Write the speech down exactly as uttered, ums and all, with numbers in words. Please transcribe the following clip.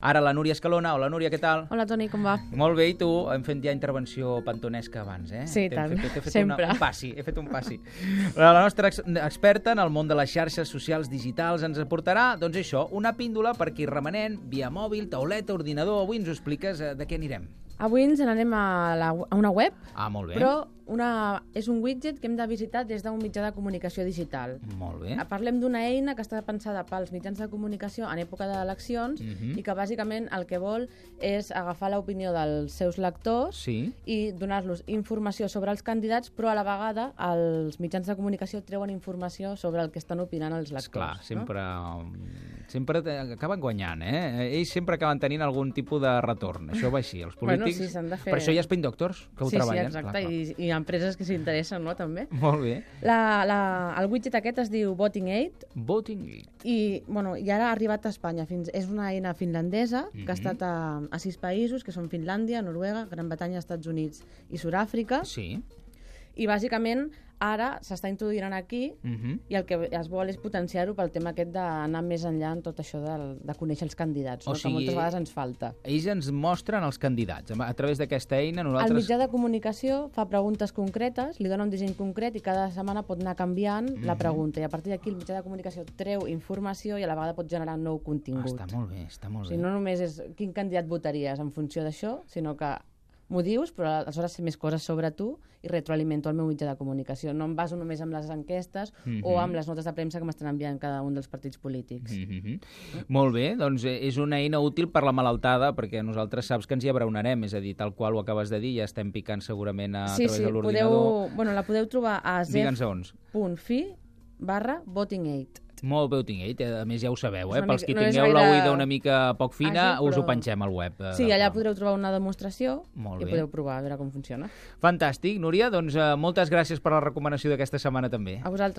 Ara la Núria Escalona. Hola, Núria, què tal? Hola, Toni, com va? Molt bé, i tu? Hem fet ja intervenció pantonesca abans, eh? Sí, tant, fet, he fet sempre. Una, un passi, he fet un passi. La nostra ex experta en el món de les xarxes socials digitals ens aportarà, doncs això, una píndola per qui remenent, via mòbil, tauleta, ordinador. Avui ens ho expliques, eh, de què anirem? Avui ens n'anem a, la, a una web, Ah, molt bé. però una, és un widget que hem de visitar des d'un mitjà de comunicació digital. Molt bé. Parlem d'una eina que està pensada pels mitjans de comunicació en època d'eleccions Mhm. i que bàsicament el que vol és agafar l'opinió dels seus lectors Sí. i donar-los informació sobre els candidats, però a la vegada els mitjans de comunicació treuen informació sobre el que estan opinant els lectors. Esclar, sempre, No? sempre acaben guanyant, eh? Ells sempre acaben tenint algun tipus de retorn. Això va així, els polítics... Bueno, sí, s'han de fer- Per això hi ha Spin Doctors, que ho sí, treballen. Sí, exacte, Clar, clar. i, i empreses que s'hi interessen, no?, també. Molt bé. La, la, el widget aquest es diu Voting Aid Voting. i, bueno, i ara ha arribat a Espanya. Fins, és una eina finlandesa que Mhm. ha estat a, a sis països, que són Finlàndia, Noruega, Gran Bretanya, Estats Units i Sud-àfrica. Sí. I bàsicament ara s'està introduint aquí Mhm. i el que es vol és potenciar-ho pel tema aquest d'anar més enllà en tot això de, de conèixer els candidats, O no? sigui, que moltes vegades ens falta. Ells ens mostren els candidats. A través d'aquesta eina El nosaltres... mitjà de comunicació fa preguntes concretes, li dona un disseny concret i cada setmana pot anar canviant la Mhm. pregunta. I a partir d'aquí el mitjà de comunicació treu informació i a la vegada pot generar nou Ah, contingut. està molt bé, està molt O bé. sigui, no només és quin candidat votaries en funció d'això, sinó que m'ho dius, però aleshores sé més coses sobre tu i retroalimento el meu mitjà de comunicació. No em baso només amb les enquestes Mhm. o amb les notes de premsa que m'estan enviant cada un dels partits polítics. Mhm. Molt bé, doncs eh, és una eina útil per la malaltada, perquè nosaltres saps que ens hi abraonarem, és a dir, tal qual ho acabes de dir, ja estem picant segurament a, sí, a través sí, de l'ordinador. podeu, bueno, la podeu trobar a Digue'ns on. zef.fi barra voting aid. Molt bé, ho tinc, eh? A més ja ho sabeu, eh? És una Pels mica- que no és tingueu la gaire oïda una mica poc fina, àgil, us ho però- pengem al web. eh, Sí, del allà programa. podreu trobar una demostració Molt i bé. podeu provar a veure com funciona. Fantàstic, Núria, doncs eh, moltes gràcies per la recomanació d'aquesta setmana també. A vosaltres.